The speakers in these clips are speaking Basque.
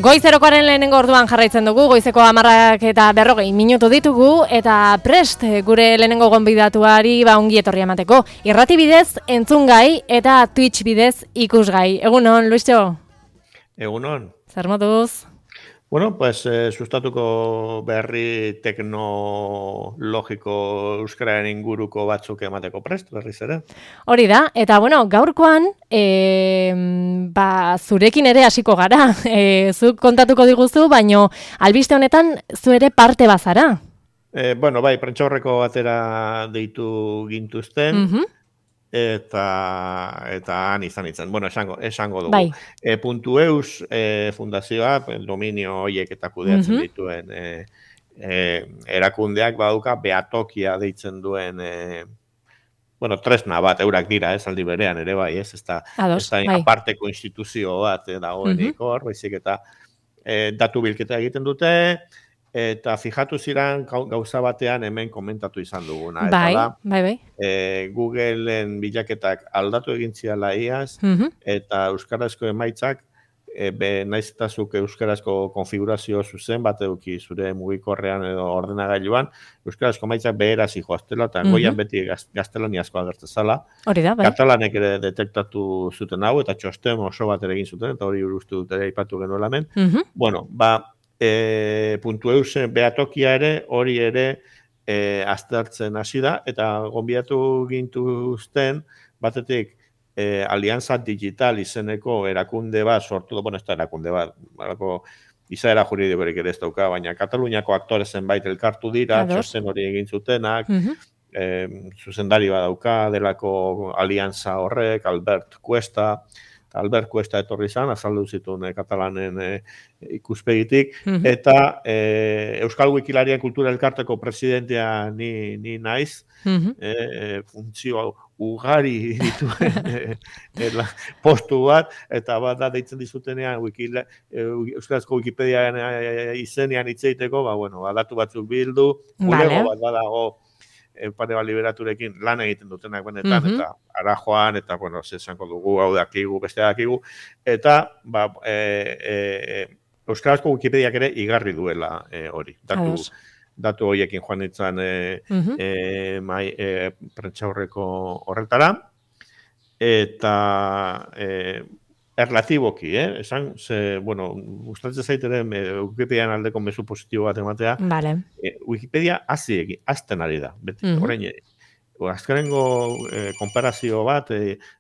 Goizerokoaren lehenengo orduan jarraitzen dugu, goizeko 10:40 ditugu, eta prest gure lehenengo gonbidatuari ongi etorri emateko. Irrati bidez entzungai eta Twitch bidez ikusgai. Egunon, Luisjo? Egunon. Zer moduz? Bueno, pues sustatuko berri teknologiko euskararen inguruko batzuk emateko prest, berriz ere. Hori da, eta bueno, gaurkoan, zurekin ere hasiko gara. Zuk kontatuko diguzu, baino albiste honetan zu ere parte bazara. Bueno, bai, prentsaurreko batera deitu gintuzten, eta han izan. Bueno, esango dugu. Bai. .eus fundazioa, dominio horiek eta kudeatzen dituen erakundeak baduka behatokia deitzen duen bueno, tresna bat eurak dira, aldi berean ere bai, ez da aparteko instituzio bat dagoenik hor, baizik eta datu bilketa egiten dute, eta fijatu ziren gauza batean hemen komentatu izan duguna. Bai. Googleen bilaketak aldatu egin ziala iaz, eta euskarazko emaitzak, naiz eta zuk euskarazko konfigurazio zuzen bat eduki zure mugikorrean edo ordenagailuan, euskarazko emaitzak beheraz joaztela, eta goian beti gaztelaniazko agertzezala. Hori da, bai. Katalanek ere detektatu zuten hau, eta txosten oso bat ere egin zuten, eta hori uste dut ere aipatu genuela hemen. Bueno, .eus behatokia ere, hori ere aztertzen hasi da, eta gonbidatu gintuzten, batetik Alianza Digital izeneko erakunde bat sortu, bueno, ez da erakunde bat, izaera juridikorik ere ez dauka, baina Kataluniako aktore zenbait elkartu dira, txosten hori egin zutenak, zuzendari bat dauka, delako Alianza horrek, Albert Cuesta etorri izan, azaldu zituen katalanen ikuspegitik, eta Euskal Wikilarien Kultura Elkarteko presidentea ni naiz, funtzio ugari dituen postu bat, eta bat da deitzen dizutenean Euskarazko Wikipediaren izenean hitz egiteko, datu batzuk bildu, bulego bat badago, pare bat liberaturekin lan egiten dutenak benetan, eta ara joan, eta, zesanko dugu, hau dakigu, beste dakigu, eta, Euskarazko Wikipediak ere igarri duela hori, datu horiekin joan nintzen prentsaurreko horretara, eta erlatiboki, gustatzen zaiteren Wikipedian aldeko mezu positibo bat ematea, Wikipedia azten ari da, beti, orain, azkenengo konparazio bat,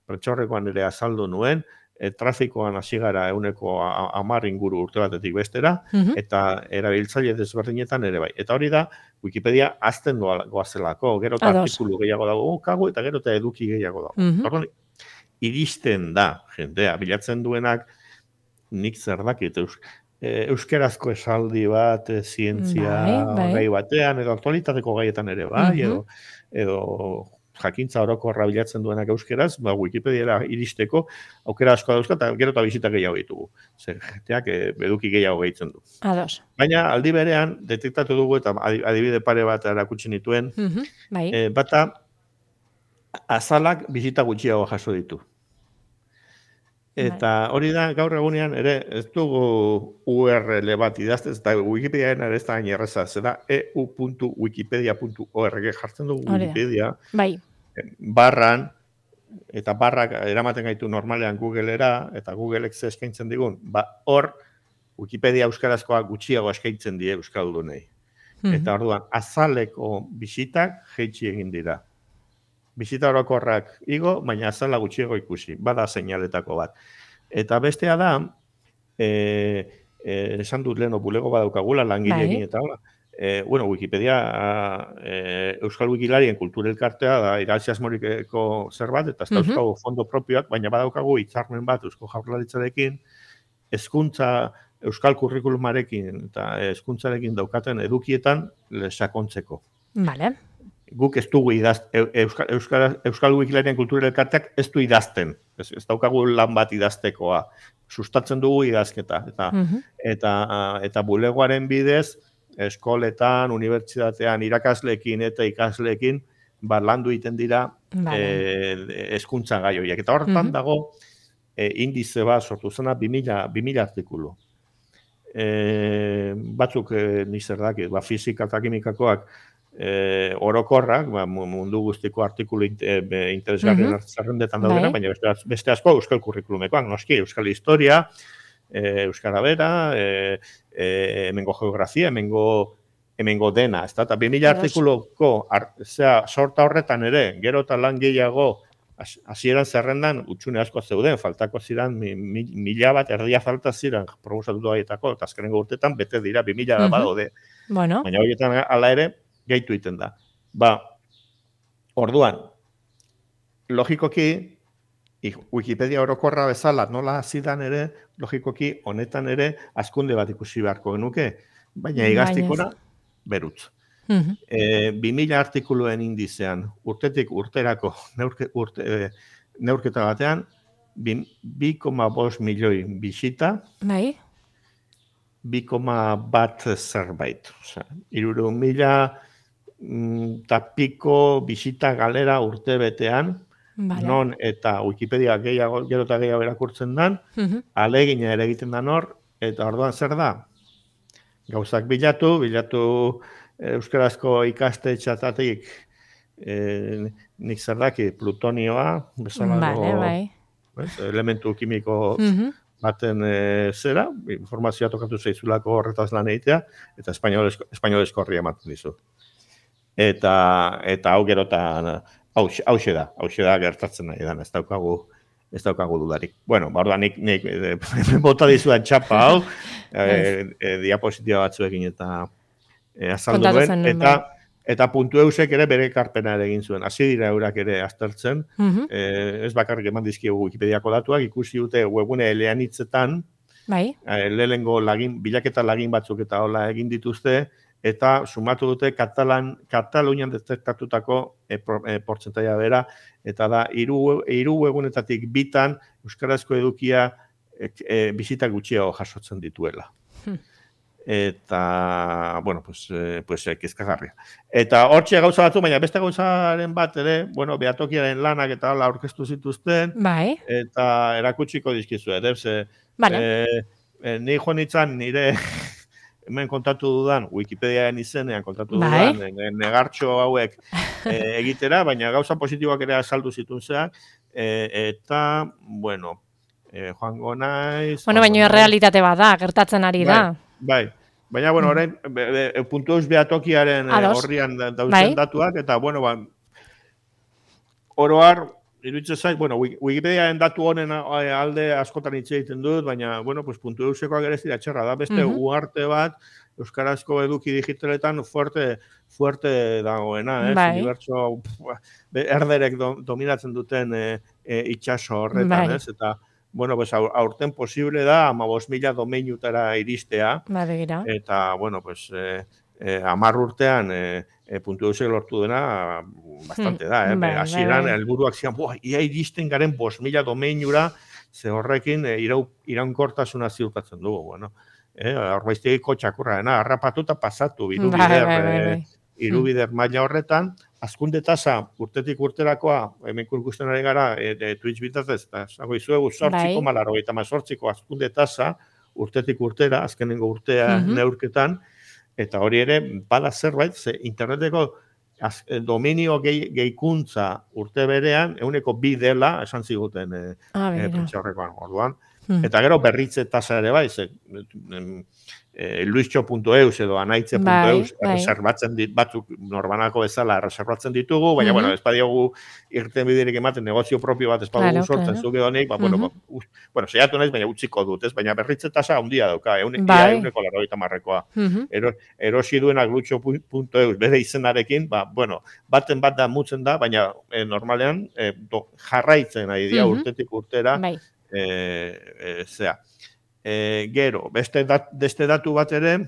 prentsaurrekoan ere azaldu nuen, trafikoan hasi gara 10 inguru urte batetik bestera, eta erabiltzaile desberdinetan ere bai. Eta hori da, Wikipedia azten goazelako, gero eta artikulu gehiago dago, eta gero eta eduki gehiago dago. Iristen da, jendea, bilatzen duenak, nik zer dakit, euskerazko esaldi bat, zientzia gai batean, edo aktualitateko gaietan ere bai, edo jakintza orokorra bilatzen duenak euskeraz, Wikipediara iristeko aukera asko dauzka, eta gero eta bisita gehiago ditugu. Zer, jenteak eduki gehiago gehitzen du. Baina, aldi berean, detektatu dugu, eta adibide pare bat erakutsi nituen, bata, azalak bisita gutxiago jaso ditu. Eta hori da, gaur egunean ere, ez dugu URL bat idaztez, eta Wikipediaren ere ez da gain erreza, zera eu.wikipedia.org jartzen dugu Wikipedia, barran, eta barrak eramaten gaitu normalean Googlera, eta Googleek ze eskaintzen digun, hor, Wikipedia euskarazkoa gutxiago eskaintzen die euskaldunei. Eta orduan, azaleko bisitak jeitsi egin dira. Bisita orokorrak igo, baina azala gutxiago ikusi, bada seinaletako bat. Eta bestea da, esan dut leheno bulego badaukagula, langileekin eta hola. Wikipedia, Euskal Wikilarien Kultura Elkartea da iraziasmoriko zerbait, eta ez dauzkagu fondo propioak, baina badaukagu hitzarmen bat Eusko Jaurlaritzarekin, hezkuntza Euskal Kurrikulumarekin eta hezkuntzarekin daukaten edukietan sakontzeko. Guk ez dugu Euskal Wikilarien Kultura Elkarteak ez du idazten. Ez daukagu lan bat idaztekoa. Sustatzen dugu idazketa. Eta bulegoaren bidez, eskoletan, unibertsitatean, irakasleekin eta ikasleekin, landu egiten dira hezkuntza gai horiek. Eta horretan dago indize bat sortu zena 2000 artikulu. batzuk nik zer dakit, fisika eta kimikakoak orokorrak, mundu guztiko artikulu interesgarrien zerrendetan daudena, baina beste asko euskal kurrikulumekoak, noski, euskal historia, euskara bera, hemengo geografia, hemengo dena, ez da, eta 2000 artikuluko sorta horretan ere, gero eta lan gehiago, hasieran zerrendan utxune asko zeuden, faltako ziren 1000 bat erdia falta ziren proposatutu haietako, eta azkenengo urtetan bete dira 2000 da badaude. Bueno. Baina horietan hala ere, gehitu egiten da. Orduan, logikoki, Wikipedia orokorra bezala nola zidan ere, logikoki honetan ere askunde bat ikusi beharko genuke, baina igaztikora berutz. 2000 artikuluen indizean, urtetik urterako neurketa batean, 2,5 milioi bisita, 2,1 zerbait. 300.000 eta piko bisita galera urte betean, non eta Wikipedia gero eta gehiago erakurtzen dan, alegina ere egiten dan hor, eta orduan zer da? Gauzak bilatu euskarazko ikastetxeetatik nik zer daki plutonioa, bezalako elementu kimiko baten zera, informazioa tokatu zaizulako horretaz lan egitea, eta espainolezko horria ematen dizu. Eta hau gerotan, hauxe da gertatzen nahi dan, ez daukagu dudarik. Bueno, orduan nik bota dizuan txapa hau, diapositiba batzuekin eta azaldu duen, eta puntu eusek ere bere ekarpena ere egin zuen. Hasi dira eurak ere aztertzen, ez bakarrik eman dizkiegu Wikipediako datuak, ikusi dute webgune eleanitzetan, lehenengo bilaketa lagin batzuk eta hola egin dituzte, eta sumatu dute Katalunian detektatutako portzentaia bera, eta da, 3 webgunetatik bitan euskarazko edukia bisita gutxiago jasotzen dituela. Eta, bueno, pues kezkagarria. Eta hortxe gauza batzu, baina beste gauzaren bat ere, bueno, behatokiaren lanak eta hala aurkeztu zituzten, eta erakutsiko dizkizu, ni joan nintzen nire hemen kontatu dudan, Wikipediaren izenean kontatu dudan, negartxo hauek egitera, baina gauza positiboak ere azaldu zituzteak, eta, bueno, joango naiz... Bueno, baina realitate bat da, gertatzen ari da. Bai, baina, bueno, orain, puntu eus behatokiaren horrian dauzen datuak, eta, bueno, oroar, iruditzen zait, bueno, Wikipediaren datu honen alde askotan hitz egiten dut, baina, bueno, pues puntu eusekoak ere zira txerra da, beste uarte bat, euskarazko eduki digitaletan fuerte dagoena, unibertso erderek dominatzen duten itxaso horretan, eta, bueno, pues aurten posible da 15.000 domeinutara iristea, eta, bueno, pues 10 urtean puntu eusek lortu dena bastante da, hasieran helburuak zian, ia iristen garen 5.000 domeinura, ze horrekin iraunkortasuna ziurtatzen dugu, bueno, horbaiztegiko txakurra dena, harrapatuta pasatu, irubider maila horretan, azkunde tasa urtetik urterakoa, hemen ikusten ari gara, Twitch bitartez, eta zago izuegu 8,88ko azkunde tasa urtetik urtera, azkenengo urtea neurketan, eta hori ere, bada zerbait, ze interneteko dominio gehikuntza urte berean, 2 dela, esan ziguten prentxaurrekoan orduan, eta gero berritze tasa ere bai, luiztxo.eus edo anaitze.eus reservatzen batzuk norbanako bezala reservatzen ditugu, baina, bueno, ez badiogu irten biderik ematen negozio propio bat ez badugu sortzen zuke honik, bueno, seiatu naiz, baina utziko dut, ez? Baina berritze tasa handia dauka, 190koa. Erosi duenak luiztxo.eus bere izenarekin, bueno, baten bat da mutzen da, baina normalean jarraitzen ari dira urtetik urtera, zea. Gero, beste datu bat ere,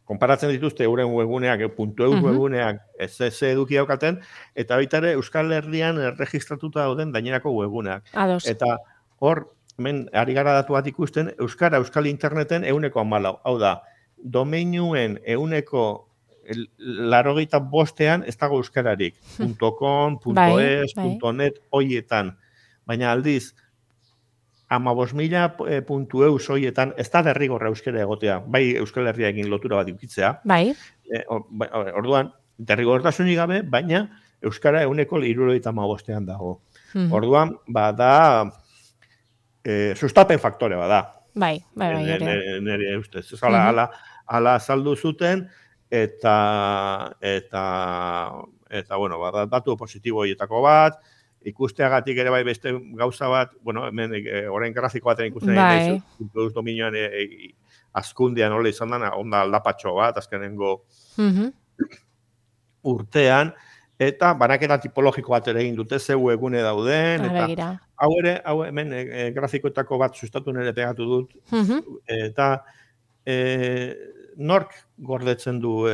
konparatzen dituzte euren webuneak, .eus webuneak, ez eduki daukaten, eta baita ere Euskal Herrian erregistratuta dauden gainerako webuneak. Eta hor, hemen ari gara datu bat ikusten, Euskal Interneten 14%. Hau da, domeinuen 95%an ez dago euskararik. .com, .es, .net, hoietan. Baina aldiz, 15.000 puntu eus hoietan, ez da derrigorra euskara egotea, bai Euskal Herriarekin lotura bat ikitzea. Bai. Orduan, derrigortasunik gabe, baina euskara 75%an dago. Orduan, da sustapen faktore bada. Bai, nire ustez. Hala azaldu zuten, eta bueno, datu positibo horietako bat, ikusteagatik ere bai beste gauza bat, bueno, hemen orain grafiko baten ikusten nahi, puntu dominioan azkundian hola izan dena, onda aldapatxo bat, azkenengo urtean, eta banaketa tipologiko bat ere egin dute, zeu egune dauden, eta hau hemen grafikoetako bat sustatu nire pegatu dut, eta nork gordetzen du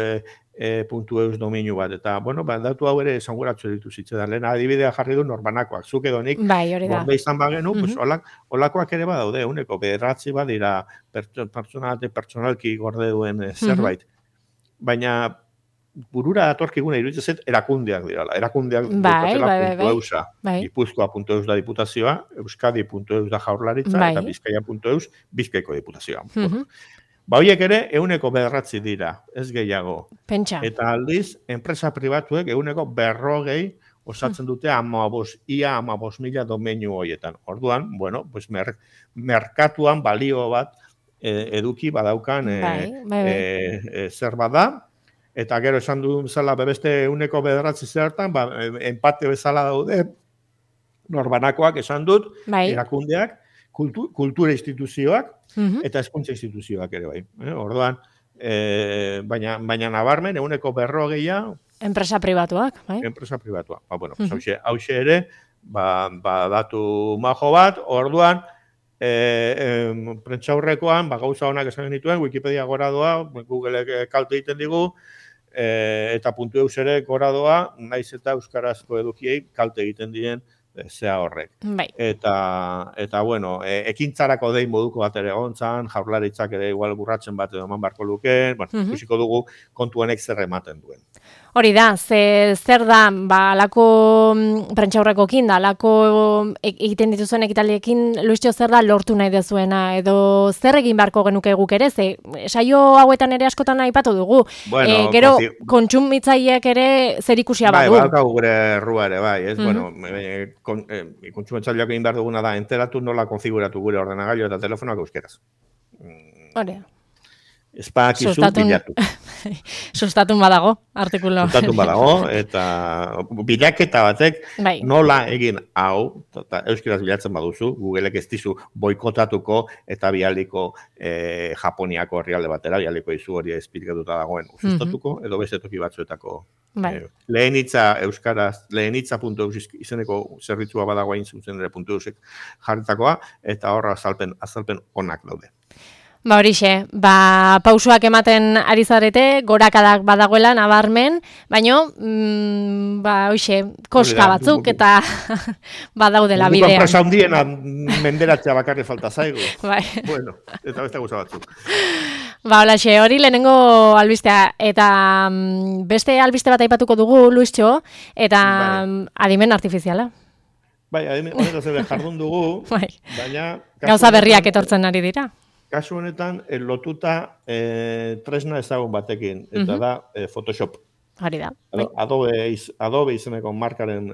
puntu eus dominu bat, eta, bueno, datu hau ere esanguratzu ditu zitzetan, lehen adibidea jarri du norbanakoak, zuk edo nik gorde izan bagenu, olakoak ere badaude, uneko bederatzi badira pertsonalki gorde duen zerbait, baina burura datorkiguna iruditzen zait erakundeak dirala. Erakundeak daukatela puntu eusa. Gipuzkoa puntu eus da diputazioa, Euskadi puntu eus da jaurlaritza, eta Bizkaia puntu eus Bizkaiko diputazioa. Horiek ere, 100 dira, ez gehiago. Pentsa. Eta aldiz, enpresa pribatuek 140 osatzen dute ia 15.000 domeinu horietan. Orduan, bueno, pues merkatuan balio bat eduki badaukan zer bada, eta gero esan du bezala beste 109 zertan, empate bezala daude, norbanakoak esan dut, erakundeak, kultura instituzioak, eta hezkuntza instituzioak ere bai. Orduan, baina nabarmen, 140 enpresa pribatuak, bai? Enpresa pribatuak. Bueno, hauxe ere, datu majo bat, orduan, prentsaurrekoan, gauza honak esan genituen, Wikipedia gora doa, Googleek kalte egiten digu, eta puntu eus ere gora doa, naiz eta euskarazko edukiei kalte egiten diren zea horrek. Eta bueno, ekintzarako dein moduko bat ere gontzan, jaurlaritzak ere igual burratzen bat edo eman barko lukeen, ikusiko dugu kontu honek zer ematen duen. Hori da, zer da, alako prentsaurrekokin da, alako egiten dituzuen ekitaldiekin, Luistxo, zer da lortu nahi dezuena, edo zer egin beharko genuke guk ere, saio hauetan ere askotan aipatu dugu, gero kontsumitzaileek ere zer ikusia badu. Bai, balkau gure errua ere, bai, ez, bueno, kontsumitzaileak egin behar duguna da, enteratu nola konfiguratu gure ordenagailu eta telefonoak euskeraz. Hori. Espakizu bilatu. Sustatun badago, artikulo. Sustatun badago, eta bilaketa batek nola egin hau, eta euskeraz bilatzen baduzu, Googleek ez dizu boikotatuko eta bialiko Japoniako herrialde batera, bialiko izu hori esplikatuta dagoen sustatuko, edo beste toki batzuetako. Lehenitza euskaraz, lehenitza.eus izeneko zerbitzua badago hain zuzen ere .eusek jarritakoa, eta horra azalpen onak daude. Horixe, pausoak ematen ari zarete, gorakadak badagoela nabarmen, baino, hoxe, koska batzuk eta badaudela bidean. Enpresa hundiena menderatzea bakarri falta zaigu. Bueno, eta beste gauza batzuk. Holaxe, hori lehenengo albistea, eta beste albiste bat aipatuko dugu, Luistxo, eta adimen artifiziala. Adimen horretaz jardun dugu, baina... Gauza berriak etortzen ari dira. Kasu honetan, lotuta tresna ezagun batekin, eta da Photoshop. Hori da. Adobe izeneko markaren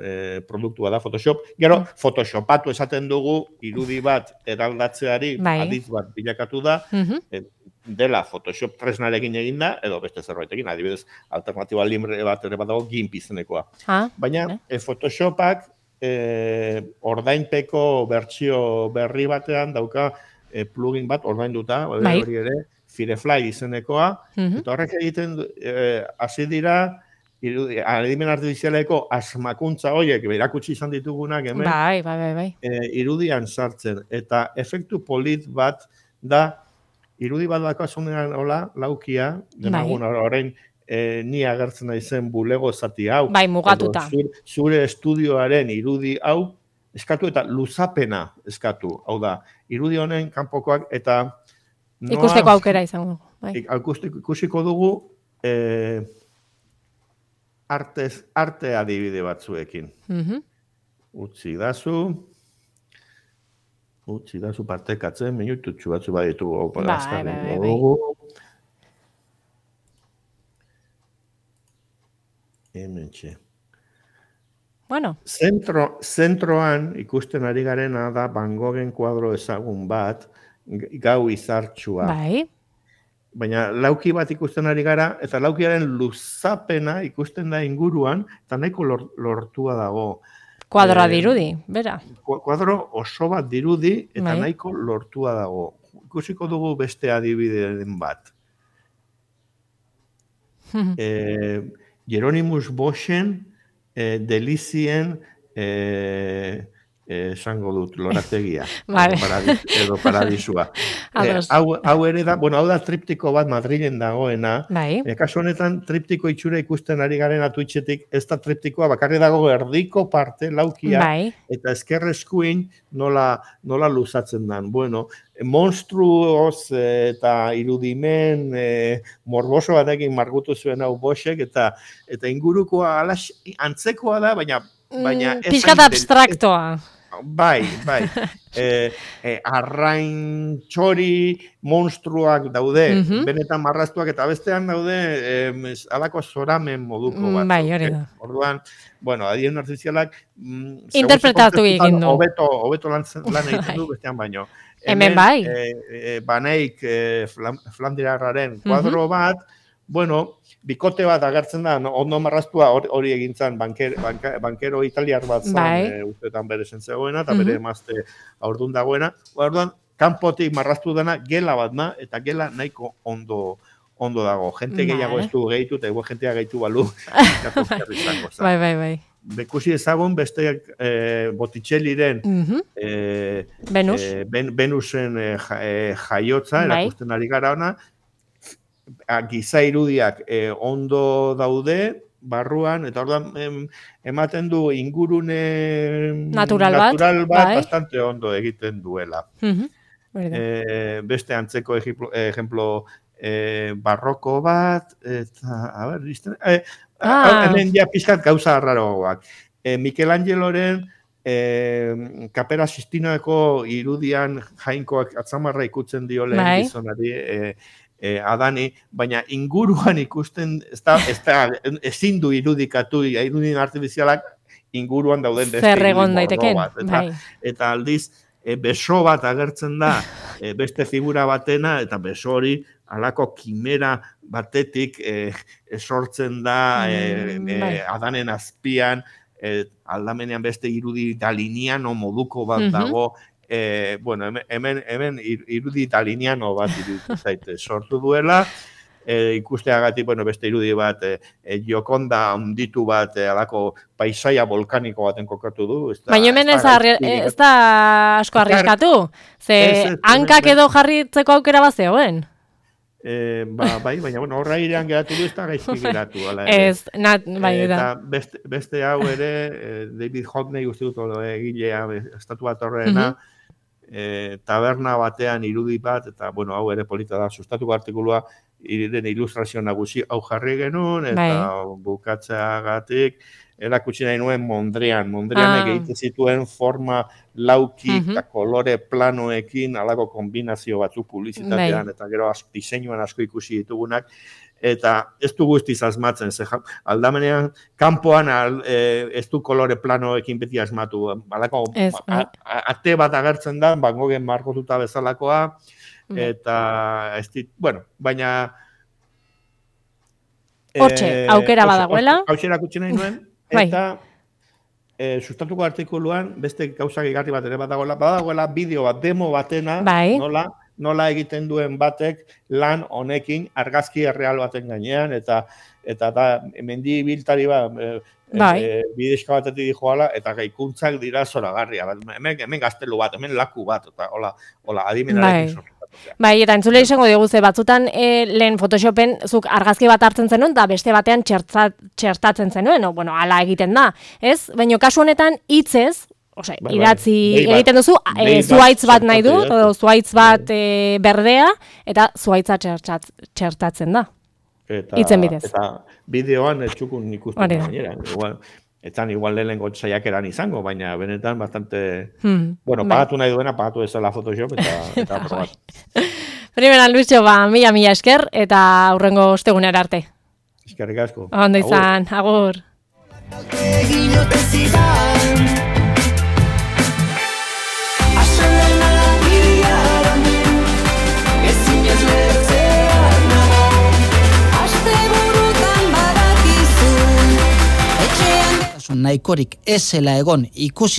produktua da Photoshop. Gero, Photoshopatu esaten dugu, irudi bat eraldatzeari aditz bat bilakatu da, dela Photoshop tresnarekin eginda, edo beste zerbaitekin, adibidez, alternatiba libre bat ere badago GIMP izenekoa. Baina, Photoshopak ordainpeko bertsio berri batean dauka plugin bat ordainduta, hori ere, Firefly izenekoa, eta horrek egiten hasi dira, adimen artifizialeko asmakuntza horiek, erakutsi izan ditugunak hemen, irudian sartzen, eta efektu polit bat da, irudi bat dakazunean hola, laukia, denagun orain ni agertzen naizen bulego zati hau, mugatuta. Zure estudioaren irudi hau, eskatu eta luzapena eskatu. Hau da, irudi honen kanpokoak eta... Ikusteko aukera izango. Ikusiko dugu arte adibide batzuekin. Utzi dazu. Utzi da zu partekatzen, minututxu batzu baditu. Bai. Hementxe. Bueno. Zentroan ikusten ari garena da Van Goghen kuadro ezagun bat, gau izartxua. Bai. Baina lauki bat ikusten ari gara, eta laukiaren luzapena ikusten da inguruan, eta nahiko lortua dago. Kuadroa dirudi, bera. Kuadro oso bat dirudi, eta nahiko lortua dago. Ikusiko dugu beste adibideen bat. Hieronymus Boschen, delizien esango dut, lorategia, edo paradisua. Hau ere da, hau da triptiko bat Madrilen dagoena. Kasu honetan, triptiko itxura ikusten ari garen Twitchetik, ez da triptikoa, bakarri dago erdiko parte, laukia, eta eskerreskuin nola luzatzen dan. Bueno, monstruoz eta irudimen morboso batekin margutu zuen hau Boschek, eta ingurukoa antzekoa da, baina pixkat abstraktoa. Bai. Arrain txori monstruak daude, benetan marraztuak, eta bestean daude alako zoramen moduko bat. Bai, hori da. Orduan, adien artifizialak interpretatu egin du. Hobeto lan egiten du bestean baino. Hemen bai. Baneik Flandirarraren kuadro bat, bikote bat agertzen da, ondo marraztua hori egintzen bankero italiar bat zan, ustetan bere zentzegoena, eta bere emazte aurdun dagoena. Orduan, kanpotik marraztu dena gela bat da, eta gela nahiko ondo dago. Jente gehiago ez du gehitu, eta jentea gehitu balu. Bai. Bekusi ezagun beste Botticelliren Venusen jaiotza, erakusten ari gara ona, giza irudiak ondo daude, barruan, eta orduan ematen du ingurune natural bat bastante ondo egiten duela. Beste antzeko ejemplo barroko bat, eta, hemen ja pizkat gauza arraroak. Michelangeloren Kapera Sistinoeko irudian jainkoak atzamarra ikutzen dio lehen gizonari, Adani, baina inguruan ikusten, ezin du irudikatu, irudin artifizialak inguruan dauden beste irudin bat. Eta aldiz, beso bat agertzen da, beste figura batena, eta beso hori alako kimera batetik sortzen da Adanen azpian, aldamenean beste irudi daliniano moduko bat dago, hemen irudi italiano bat iruditzen sortu duela, ikusteagatik beste irudi bat, Gioconda handitu bat, alako paisaia volkaniko baten kokatu du. Baina hemen ez da asko arriskatu, ze hankak edo jarritzeko aukera bat zegoen. Bai, baina horra irean geratu du, ez da gaizki geratu. Eta beste hau ere, David Hockney uste dut egilea estatu bat horrena, taberna batean irudi bat, eta hau ere polita da, sustatuko artikulua, den ilustrazio nagusi hau jarri genuen, eta bukatzeagatik, erakutsi nahi nuen Mondrianek egiten zituen forma lauki eta kolore planoekin, alako kombinazio batzuk publizitatean, eta gero diseinuan asko ikusi ditugunak, eta ez du guztiz asmatzen, aldamenean, kanpoan ez du kolore planoekin beti asmatu, alako ate bat agertzen da, Van Goghen margotuta bezalakoa, eta ez dit, baina hortxe, aukera badagoela. Hauxe erakutsi nahi nuen, eta sustatuko artikuluan beste gauza gehigarri bat ere badagoela bideo bat, demo batena, nola egiten duen batek lan honekin argazki erreal baten gainean, eta mendi biltari bat, bidezka batetik joala, eta gaikuntzak dira zoragarria. Hemen gaztelu bat, hemen laku bat, eta hola, adimenarekin sortu. Eta entzule izango dugu ze batzutan lehen Photoshopen zuk argazki bat hartzen zenuen, eta beste batean txertatzen zenuen, ala egiten da, ez? Baina kasu honetan hitzez, idatzi egiten duzu, zuhaitz bat nahi du, zuhaitz bat berdea, eta zuhaitza txertatzen da. Itzen bidez. Eta bideoan ez txukun ikusten gainera. etzan igual lehenengo saiakeran izango, baina benetan bastante... Bueno, pagatu nahi duena, pagatu ezela Photoshop eta probat. Primera, Luisio, mila esker, eta aurrengo ostegunera arte. Eskerrik asko. Ondo izan, agur. Nahikorik ez zela egon ikusi